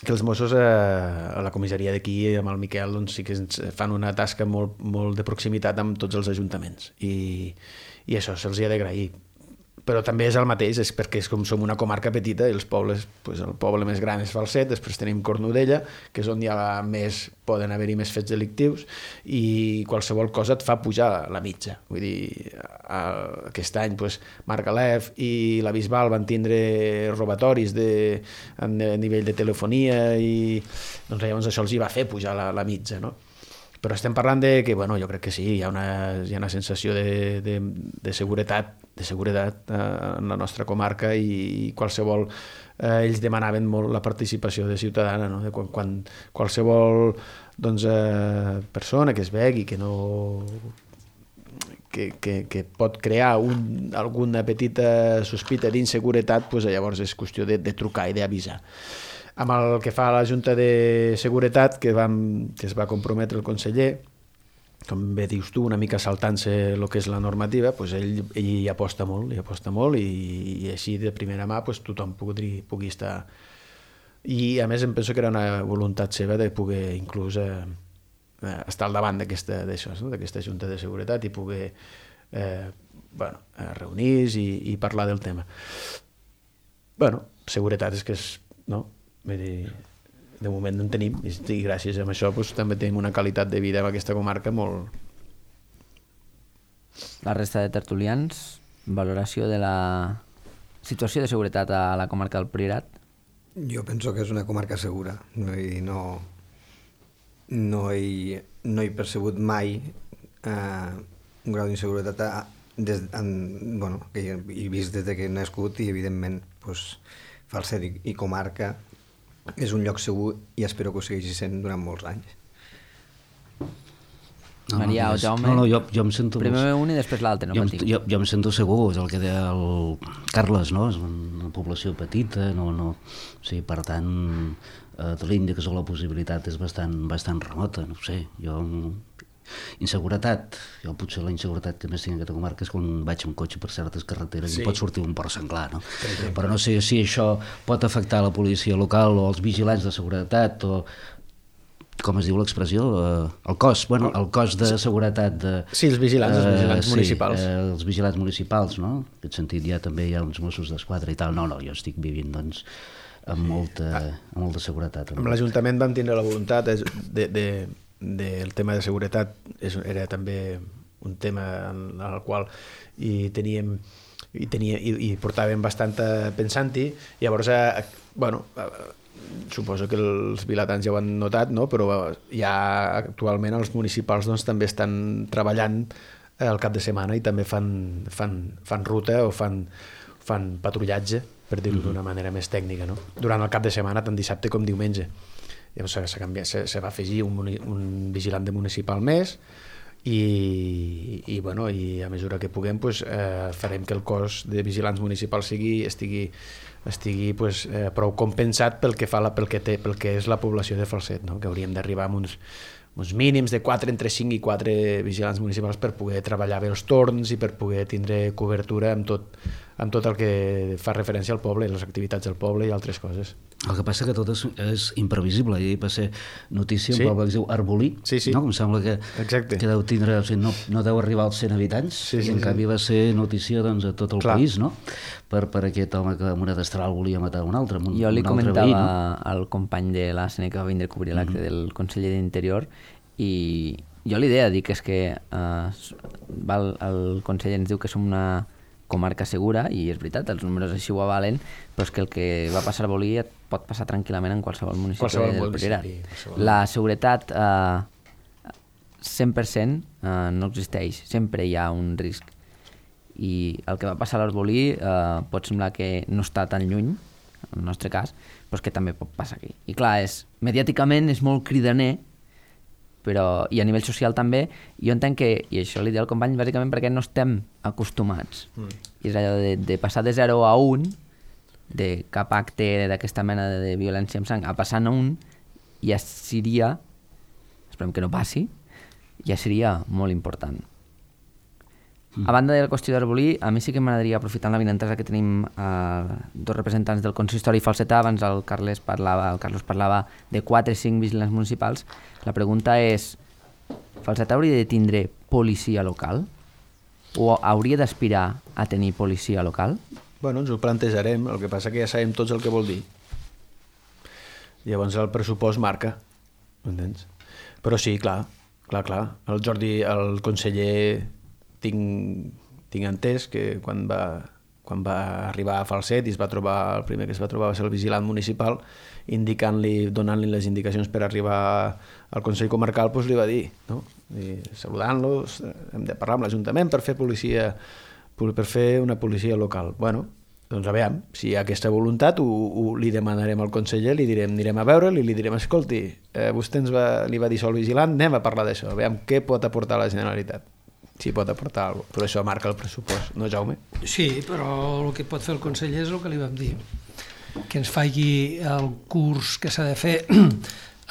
que els Mossos a la comissaria d'aquí amb el Miquel doncs, sí que fan una tasca molt, molt de proximitat amb tots els ajuntaments i això se'ls ha d'agrair. Però també és el mateix, és perquè com som una comarca petita i els pobles, el poble més gran és Falset, després tenim Cornudella, que és on poden haver-hi més fets delictius, i qualsevol cosa et fa pujar la mitja. Vull dir, aquest any Margalef i la Bisbal van tindre robatoris a nivell de telefonia i doncs llavors això els hi va fer pujar la mitja, no? Però estem parlant que, jo crec que sí, hi ha una sensació de seguretat en la nostra comarca i qualsevol... ells demanaven molt la participació de ciutadana, no? Quan qualsevol persona que es vegi que no... que pot crear alguna petita sospita d'inseguretat, llavors és qüestió de trucar i d'avisar. Amb el que fa la Junta de Seguretat, que es va comprometre el conseller, com bé dius tu, una mica saltant-se el que és la normativa, ell hi aposta molt i així de primera mà tothom pugui estar I a més em penso que era una voluntat seva de poder inclús estar al davant d'aquesta Junta de Seguretat i poder reunir-se i parlar del tema. Seguretat és que és, no? Vull dir, de moment no en tenim i gràcies a això també tenim una qualitat de vida en aquesta comarca molt... La resta de tertulians, valoració de la situació de seguretat a la comarca del Priorat? Jo penso que és una comarca segura. No he percebut mai un grau d'inseguretat que he vist des que he nascut i evidentment Falset i comarca és un lloc segur i espero que ho segueixi sent durant molts anys. Maria o Jaume? No, jo em sento... Primer un i després l'altre, no patim. Jo em sento segur, és el que deia el Carles, no? És una població petita, sí, per tant, l'índex o la possibilitat és bastant remota, no sé, inseguretat, jo potser la inseguretat que més tinc en aquesta comarca és quan vaig amb cotxe per certes carreteres i pot sortir un porc senglar, no? Però no sé si això pot afectar la policia local o els vigilants de seguretat o, com es diu l'expressió, el cos de seguretat Sí, els vigilants municipals. Els vigilants municipals, no? En aquest sentit també hi ha uns Mossos d'Esquadra i tal. No, jo estic vivint, doncs, amb molta seguretat. Amb l'Ajuntament vam tindre la voluntat del tema de seguretat, era també un tema en el qual hi portàvem bastant pensant-hi. Llavors, suposo que els vilatans ja ho han notat, no? Però ja actualment els municipals també estan treballant el cap de setmana i també fan ruta o fan patrullatge, per dir-ho d'una manera més tècnica, no? Durant el cap de setmana, tant dissabte com diumenge. Llavors se va afegir un vigilant de municipal més i a mesura que puguem farem que el cos de vigilants municipals estigui prou compensat pel que és la població de Falset, no? Que hauríem d'arribar a uns mínims de entre 5 i 4 vigilants municipals per poder treballar bé els torns i per poder tindre cobertura amb tot el que fa referència al poble, les activitats del poble i altres coses. El que passa que tot és imprevisible. Ahir va ser notícia un poble que es diu Arbolí, no? Que em sembla que deu tindre, no deu arribar als 100 habitants, i en canvi va ser notícia a tot el país, no? Per aquest home que amb una destral volia matar un altre. Jo li comentava al company de l'ASN que va vindre a cobrir l'acte del conseller d'Interior i jo li deia, dic, és que el conseller ens diu que som una comarca segura, i és veritat, els números així ho avalen, però és que el que va passar a Bolí et pot passar tranquil·lament en qualsevol municipi del Priorat. La seguretat 100% no existeix, sempre hi ha un risc. I el que va passar a l'Arbolí pot semblar que no està tan lluny, en el nostre cas, però és que també pot passar aquí. I clar, mediàticament és molt cridaner, però, i a nivell social també, jo entenc que, i això li deia al company, bàsicament perquè no estem acostumats. I és allò de passar de 0 a 1, de cap acte d'aquesta mena de violència amb sang, a passar a 1, ja seria, esperem que no passi, ja seria molt important. A banda de la qüestió d'Arbolí, a mi sí que m'agradaria, aprofitant l'avinentesa que tenim dos representants del consistori falsetà, abans el Carlos parlava de 4 o 5 vigilants municipals, la pregunta és, Falsetà hauria de tindre policia local? O hauria d'aspirar a tenir policia local? Bueno, ens ho plantejarem, el que passa que ja sabem tots el que vol dir. Llavors el pressupost marca, entens? Però sí, clar. El Jordi, el conseller, tinc entès que quan va arribar a Falset i el primer que es va trobar va ser el vigilant municipal, donant-li les indicacions per arribar al Consell Comarcal, doncs li va dir, no? I saludant-los, hem de parlar amb l'Ajuntament per fer una policia local. Bueno, doncs a veure, si hi ha aquesta voluntat, li demanarem al conseller, li direm, anirem a veure'l i li direm, escolti, vostè li va dir sol vigilant, anem a parlar d'això, a veure què pot aportar la Generalitat. Sí, pot aportar alguna cosa, però això marca el pressupost, no, Jaume? Sí, però el que pot fer el conseller és el que li vam dir, que ens faci el curs que s'ha de fer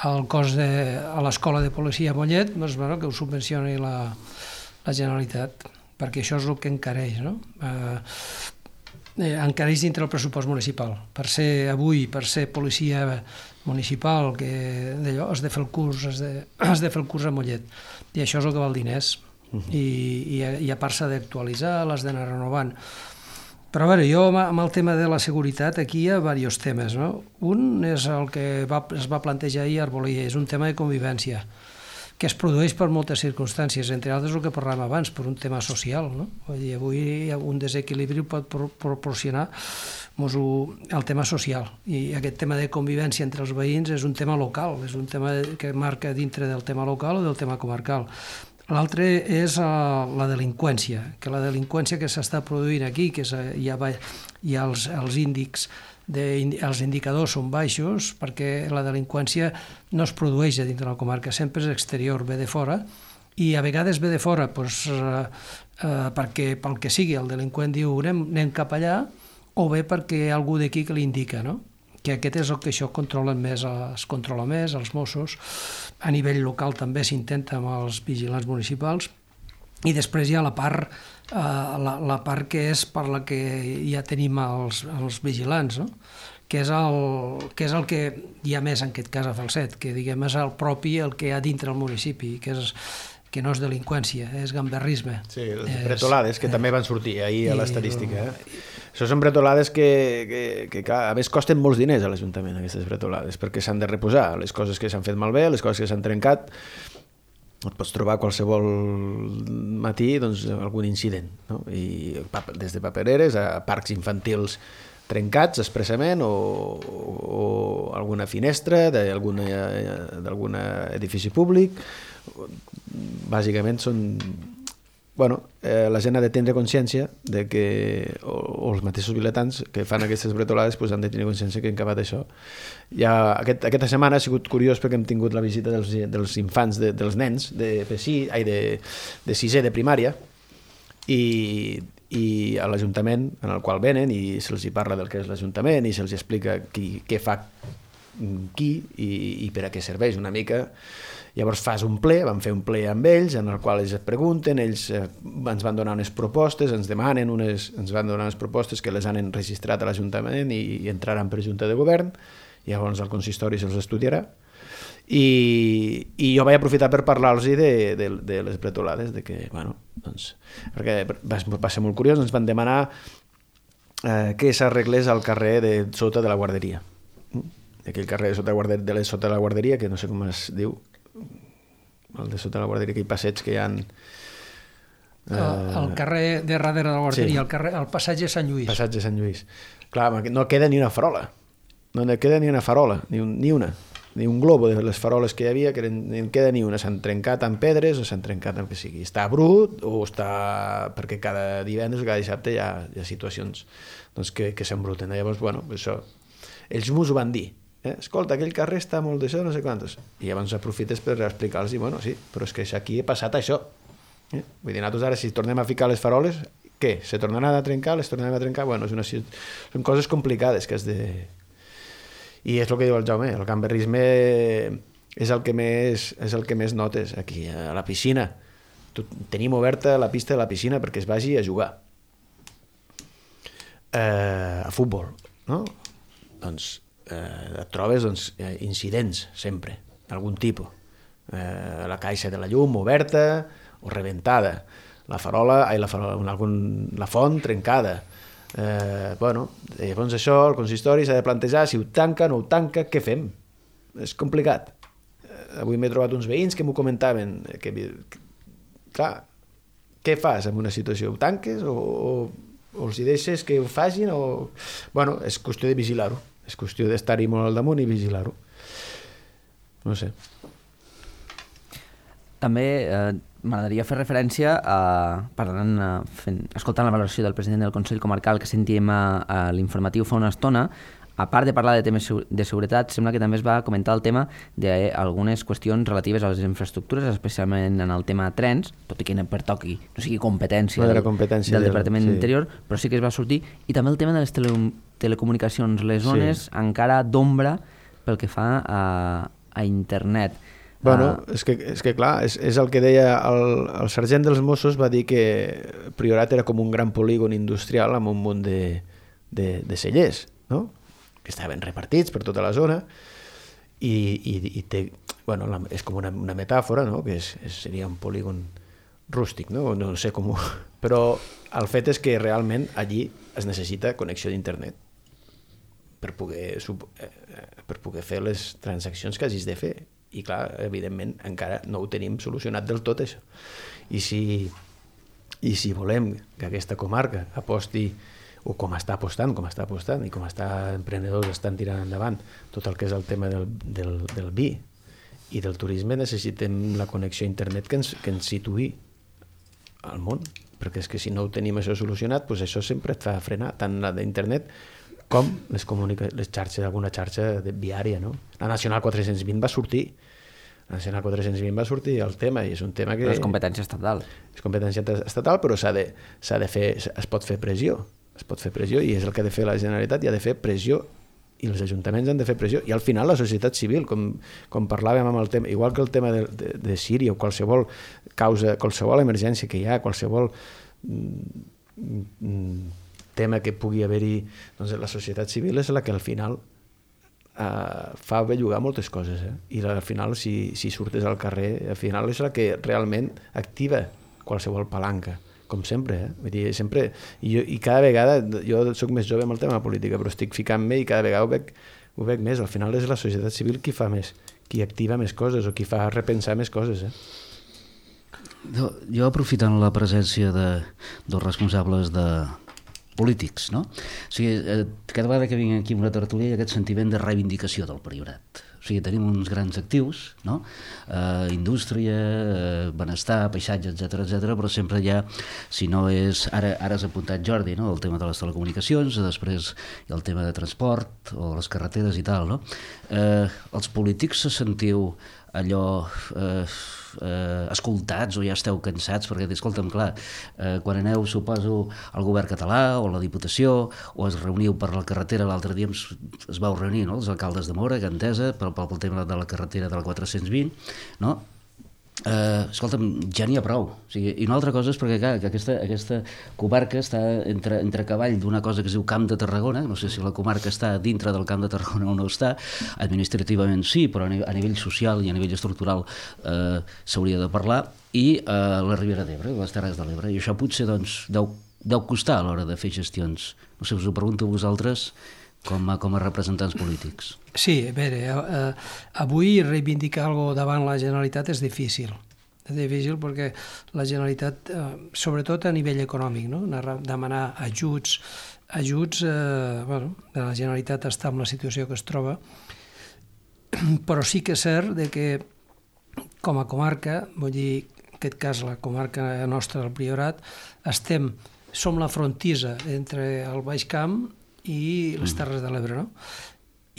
al cos a l'escola de policia a Mollet, doncs, bueno, que ho subvencioni la Generalitat, perquè això és el que encareix, no? encareix dintre el pressupost municipal. Per ser policia municipal, que d'allò has de fer el curs, has de fer el curs a Mollet. I això és el que val diners. I a part s'ha d'actualitzar, l'has d'anar renovant. Però a veure, jo amb el tema de la seguretat aquí hi ha diversos temes, no? Un és el que es va plantejar ahir a Arbolí, és un tema de convivència, que es produeix per moltes circumstàncies, entre altres el que parlàvem abans, per un tema social, no? Vull dir, avui un desequilibri pot proporcionar el tema social, i aquest tema de convivència entre els veïns és un tema local, és un tema que marca dintre del tema local o del tema comarcal. L'altre és la delinqüència, que la delinqüència que s'està produint aquí, que hi ha els índexs, els indicadors són baixos perquè la delinqüència no es produeix a dintre de la comarca, sempre és exterior, ve de fora, i a vegades ve de fora perquè pel que sigui el delinqüent diu anem cap allà, o bé perquè hi ha algú d'aquí que li indica, no? Que aquest és el que això es controla més, els Mossos, a nivell local també s'intenta amb els vigilants municipals, i després hi ha la part que és per la que ja tenim els vigilants, no? que és el que hi ha més en aquest cas a Falset, que diguem és el propi el que hi ha dintre el municipi, que no és delinqüència, és gamberrisme. Sí, les bretolades, que també van sortir ahir a l'estadística. Això són bretolades que a més costen molts diners a l'Ajuntament, aquestes bretolades, perquè s'han de reposar, les coses que s'han fet malbé, les coses que s'han trencat. Et pots trobar qualsevol matí algun incident, no? I des de papereres a parcs infantils trencats expressament o alguna finestra d'algun edifici públic. Bàsicament són... la gent ha de tindre consciència de que, o els mateixos vilatans que fan aquestes bretolades han de tenir consciència que han acabat això. Aquesta setmana ha sigut curiós perquè hem tingut la visita dels infants, dels nens de sisè de primària, i a l'Ajuntament en el qual venen i se'ls parla del que és l'Ajuntament i se'ls explica què fa qui i per a què serveix una mica. Llavors vam fer un ple amb ells en el qual ells es pregunten, ells ens van donar unes propostes, ens van donar unes propostes que les han registrat a l'Ajuntament i entraran per Junta de Govern, i llavors el consistori se'ls estudiarà. I jo vaig aprofitar per parlar-los de les bretolades, perquè va ser molt curiós, ens van demanar que s'arreglés al carrer de sota de la guarderia. Aquell carrer de sota de la guarderia, que no sé com es diu, el de sota de la guarderia, aquell passeig que hi ha... El carrer de darrere de la guarderia, sí. El passatge Sant Lluís. Passatge Sant Lluís. Clar, no queda ni una farola. No queda ni una farola, ni un globo de les faroles que hi havia, que no en queda ni una. S'han trencat amb pedres o s'han trencat amb que sigui. Està brut o està... perquè cada divendres o cada dissabte hi ha situacions que s'embruten. Llavors, això... Ells m'ho van dir. Escolta, aquell carrer està molt d'això, no sé quantos. I llavors aprofites per explicar-los, sí, però és que aquí ha passat això. Vull dir, nosaltres ara, si tornem a ficar les faroles, què? Se tornaran a trencar? Les tornarem a trencar? Són coses complicades que has de... I és el que diu el Jaume, el gamberrisme és el que més notes aquí, a la piscina. Tenim oberta la pista de la piscina perquè es vagi a jugar. A futbol, no? Et trobes incidents sempre, d'algun tipus. La caixa de la llum oberta o rebentada, la font trencada. Llavors això, el consistori s'ha de plantejar si ho tanca o no ho tanca, què fem? És complicat. Avui m'he trobat uns veïns que m'ho comentaven, clar, què fas en una situació? Ho tanques o els hi deixes que ho facin? És qüestió de vigilar-ho. És qüestió d'estar-hi molt al damunt i vigilar-ho. No sé. També m'agradaria fer referència escoltant la valoració del president del Consell Comarcal que sentíem a l'informatiu fa una estona. A part de parlar de temes de seguretat, sembla que també es va comentar el tema d'algunes qüestions relatives a les infraestructures, especialment en el tema trens, tot i que no pertoqui, no sigui competència del Departament d'Interior, però sí que es va sortir, i també el tema de les telecomunicacions, les zones encara d'ombra pel que fa a internet. És que clar, és el que deia el sergent dels Mossos, va dir que Priorat era com un gran polígon industrial amb un munt de cellers, no? Que estaven repartits per tota la zona i té, bueno, és com una metàfora, no? Que seria un polígon rústic, no? No sé com però el fet és que realment allí es necessita connexió d'internet per poder fer les transaccions que hagis de fer. I clar, evidentment, encara no ho tenim solucionat del tot, això. I si volem que aquesta comarca aposti, o com està apostant, i com emprenedors estan tirant endavant tot el que és el tema del vi i del turisme, necessitem la connexió a internet que ens situï al món, perquè és que si no ho tenim això solucionat, doncs això sempre et fa frenar, tant la d'internet com les xarxes, alguna xarxa viària, no? La Nacional 420 va sortir. La Nacional 420 va sortir el tema, i és un tema que... Però és competència estatal. És competència estatal, però s'ha de fer, es pot fer pressió, i és el que ha de fer la Generalitat, i ha de fer pressió, i els ajuntaments han de fer pressió, i al final la societat civil, com parlàvem amb el tema, igual que el tema de Síria, o qualsevol causa, qualsevol emergència que hi ha, qualsevol tema que pugui haver-hi, doncs la societat civil és la que al final fa bellugar moltes coses, i al final si surtes al carrer, al final és la que realment activa qualsevol palanca, com sempre, vull dir, sempre, i cada vegada, jo soc més jove amb el tema de la política, però estic ficant-me i cada vegada ho veig més, al final és la societat civil qui fa més, qui activa més coses o qui fa repensar més coses. Jo aprofitant la presència dels responsables polítics, no? O sigui, cada vegada que vinc aquí a una tertúlia hi ha aquest sentiment de reivindicació del Priorat. O sigui, tenim uns grans actius, no? Indústria, benestar, paisatge, etc, però sempre hi ha, si no és... Ara has apuntat, Jordi, no? El tema de les telecomunicacions, després hi ha el tema de transport o les carreteres i tal, no? Els polítics se sentiu allò escoltats o ja esteu cansats, perquè escolta'm, clar, quan aneu, suposo, al govern català o a la Diputació, o es reuniu per la carretera, l'altre dia es vau reunir, no?, els alcaldes de Móra, Gandesa, pel tema de la carretera de la 420, no? Escolta'm, ja n'hi ha prou. O sigui, i una altra cosa és perquè, clar, que aquesta comarca està entre cavall d'una cosa que es diu Camp de Tarragona, no sé si la comarca està dintre del Camp de Tarragona o no està, administrativament sí, però a nivell social i a nivell estructural s'hauria de parlar, i la Ribera d'Ebre, les Terres de l'Ebre, i això potser doncs deu costar a l'hora de fer gestions. No sé, us ho pregunto a vosaltres com a representants polítics. Sí, a veure, avui reivindicar alguna cosa davant la Generalitat és difícil. És difícil perquè la Generalitat, sobretot a nivell econòmic, no? Demanar ajuts, bueno, la Generalitat està en la situació que es troba, però sí que és cert que com a comarca, vull dir, en aquest cas la comarca nostra del Priorat, som la frontissa entre el Baix Camp i les Terres de l'Ebre, no?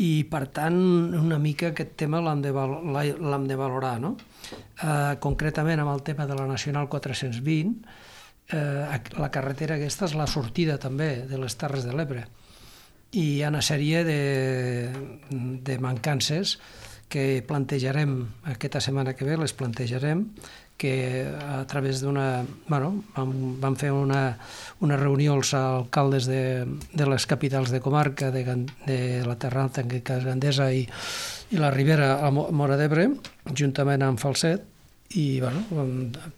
I, per tant, una mica aquest tema l'hem de valorar, no? Concretament amb el tema de la Nacional 420, la carretera aquesta és la sortida també de les Terres de l'Ebre. I hi ha una sèrie de mancances que plantejarem aquesta setmana que ve, les plantejarem, que a través d'una... Bueno, vam fer una reunió els alcaldes de les capitals de comarca, de la Terra Alta, en aquest cas Gandesa, i la Ribera a Móra d'Ebre, juntament amb Falset, i bueno,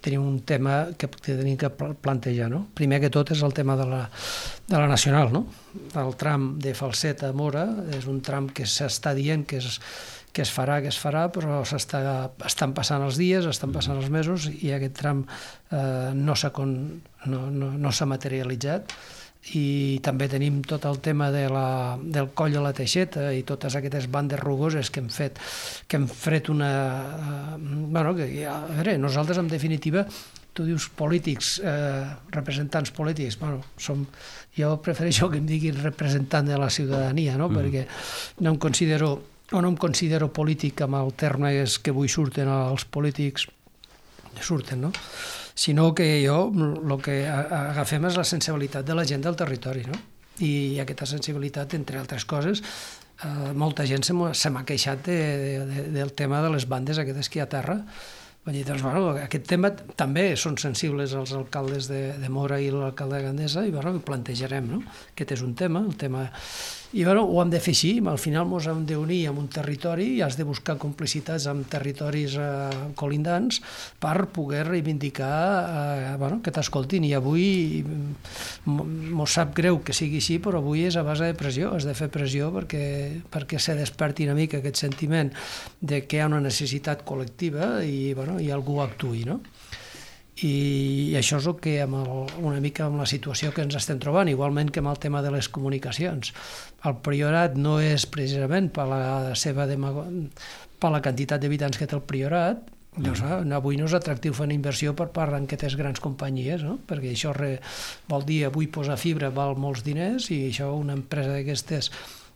tenim un tema que tenim que plantejar, no? Primer que tot és el tema de la Nacional, no? El tram de Falset a Móra és un tram que s'està dient que es farà, però estan passant els dies, estan passant els mesos, i aquest tram no s'ha materialitzat. I també tenim tot el tema del coll de la Teixeta i totes aquestes bandes rugoses que hem fet una... Bueno, a veure, nosaltres, en definitiva, tu dius polítics, representants polítics, bueno, jo prefereixo que em diguin representant de la ciutadania, no? Perquè no em considero polític amb el termes que avui surten els polítics, no? Sinó que jo el que agafem és la sensibilitat de la gent del territori, no? I aquesta sensibilitat, entre altres coses, molta gent se m'ha queixat del tema de les bandes aquestes que hi ha a terra, Vull dir, doncs, bueno, aquest tema també són sensibles els alcaldes de Móra i l'alcalde de Gandesa i bueno, plantejarem, no? Aquest és un tema, el tema... I bueno, ho hem de fer així, al final ens hem d'unir amb un territori i has de buscar complicitats amb territoris colindants per poder reivindicar bueno, que t'escoltin. I avui mos sap greu que sigui així, però avui és a base de pressió, has de fer pressió perquè se desperti una mica aquest sentiment de que hi ha una necessitat col·lectiva i, bueno, i algú actuï, no? I això és el que una mica amb la situació que ens estem trobant, igualment que amb el tema de les comunicacions. El Priorat no és precisament per la quantitat d'habitants que té el Priorat, doncs, avui no és atractiu fer una inversió per part d'aquestes grans companyies, no? Perquè això vol dir avui posar fibra val molts diners i això una empresa d'aquestes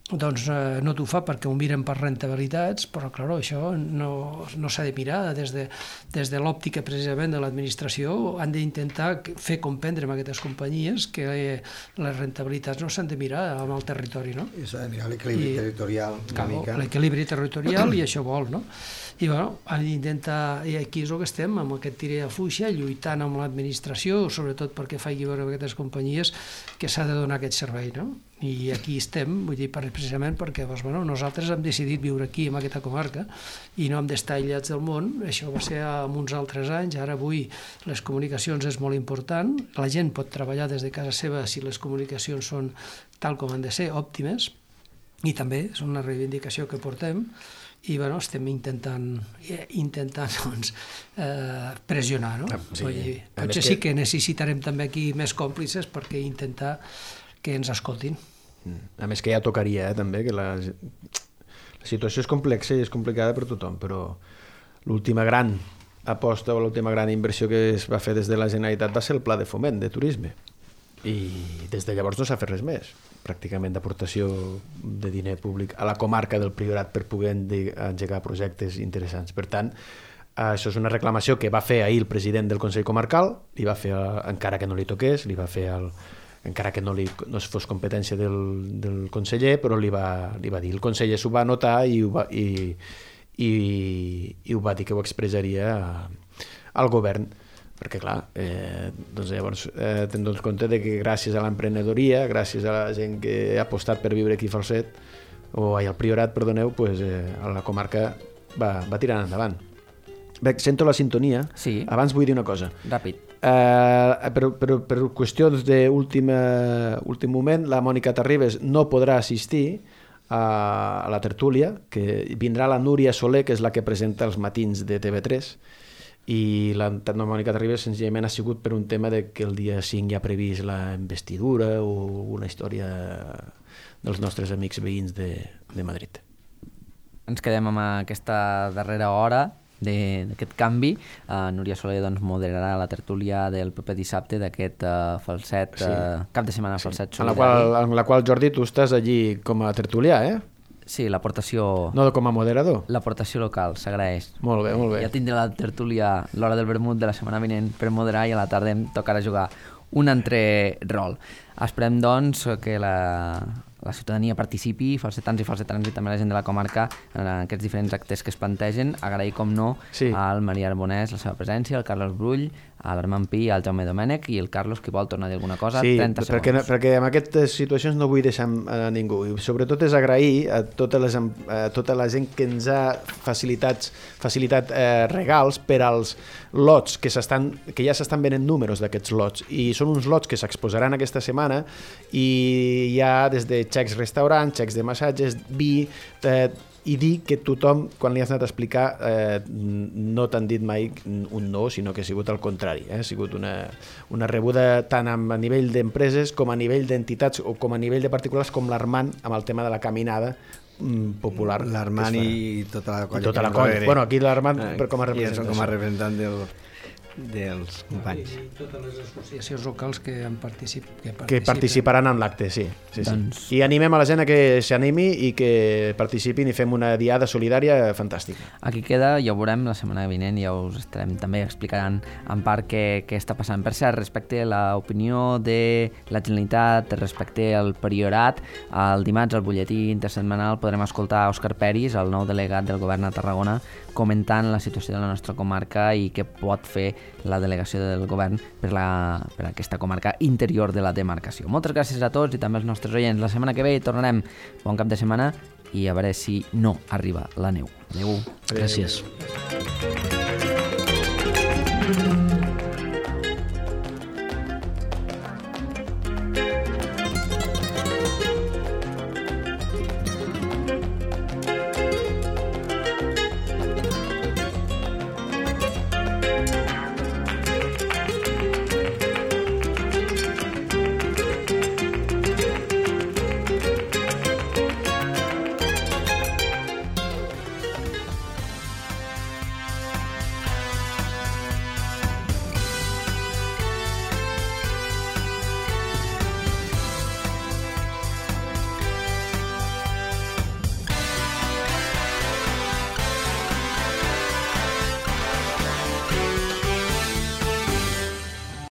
doncs no t'ho fa perquè ho miren per rentabilitats, però clar, això no s'ha de mirar des de l'òptica precisament de l'administració. Han d'intentar fer comprendre amb aquestes companyies que les rentabilitats no s'han de mirar amb el territori, no? I s'ha de mirar l'equilibri territorial una mica. L'equilibri territorial i això vol, no? I bueno, han d'intentar, i aquí és el que estem, amb aquest tira de fuixa, lluitant amb l'administració, sobretot perquè faci veure a aquestes companyies que s'ha de donar aquest servei, no? I aquí estem, vull dir, precisament perquè doncs, bueno, nosaltres hem decidit viure aquí, en aquesta comarca, i no hem d'estar aïllats del món. Això va ser en uns altres anys, ara avui les comunicacions és molt important, la gent pot treballar des de casa seva si les comunicacions són tal com han de ser, òptimes, i també és una reivindicació que portem, i bueno, estem intentant doncs, pressionar, no? Sí. Vull dir, potser sí que necessitarem també aquí més còmplices perquè intentar que ens escoltin. A més que ja tocaria, també, que la situació és complexa i és complicada per tothom, però l'última gran aposta o l'última gran inversió que es va fer des de la Generalitat va ser el Pla de Foment de Turisme. I des de llavors no s'ha fet res més, pràcticament d'aportació de diner públic a la comarca del Priorat per poder engegar projectes interessants. Per tant, això és una reclamació que va fer ahir el president del Consell Comarcal, li va fer, encara que no li toqués, li va fer encara que no fos competència del conseller, però li va dir. El conseller s'ho va notar i ho va dir que ho expressaria al govern, perquè clar, doncs llavors tenim compte de que gràcies a l'emprenedoria, gràcies a la gent que ha apostat per viure aquí a Falset, al Priorat, perdoneu, pues, la comarca va tirant endavant. Bé, sento la sintonia. Sí. Abans vull dir una cosa. Ràpid. Per qüestions d'últim moment, la Mònica Terribas no podrà assistir a la tertúlia, que vindrà la Núria Soler, que és la que presenta els matins de TV3, i la Mònica Terribas senzillament ha sigut per un tema de que el dia 5 hi ha previst la investidura o una història dels nostres amics veïns de Madrid. Ens quedem amb aquesta darrera hora d'aquest canvi. Núria Soler doncs, moderarà la tertúlia del proper dissabte d'aquest Falset, cap de setmana Falset Solidari. En la qual, Jordi, tu estàs allí com a tertulià, eh? Sí, l'aportació... No com a moderador. L'aportació local, s'agraeix. Molt bé, molt bé. Ja tindré la tertúlia l'hora del vermut de la setmana vinent per moderar i a la tarda em tocarà jugar un altre rol. Esperem, doncs, que la ciutadania participi, falsetans i falsetans i també la gent de la comarca en aquests diferents actes que es plantegen. Agrair, com no, al Maria Arbonès la seva presència, al Carlos Brull, a l'Armand Pi, al Jaume Domènech i el Carlos, que vol tornar a dir alguna cosa. Sí, 30 segons. perquè en aquestes situacions no vull deixar a ningú. I sobretot és agrair a tota la gent que ens ha facilitat regals per als lots que ja s'estan venent números d'aquests lots. I són uns lots que s'exposaran aquesta setmana i hi ha des de xecs restaurants, xecs de massatges, vi, i dir que tothom, quan li has anat a explicar, no t'han dit mai un no, sinó que ha sigut al contrari. Ha sigut una rebuda tant a nivell d'empreses com a nivell d'entitats o com a nivell de particulars, com l'Armand amb el tema de la caminada popular. L'Armand i tota la colla. I tota la colla. Bueno, aquí l'Armand com a representant. Com a representant dels companys. I totes les associacions locals que participaran en l'acte, sí. Doncs... I animem a la gent a que s'animi i que participin i fem una diada solidària fantàstica. Aquí queda, ja ho veurem la setmana vinent, ja us estarem també explicant en part què està passant. Per cert, respecte a l'opinió de la Generalitat, respecte al Priorat, el dimarts al butlletí intersetmanal podrem escoltar Òscar Peris, el nou delegat del govern a Tarragona, comentant la situació de la nostra comarca i què pot fer la delegació del govern per aquesta comarca interior de la demarcació. Moltes gràcies a tots i també als nostres oients. La setmana que ve tornarem. Bon cap de setmana i a veure si no arriba la neu. Adéu. Gràcies.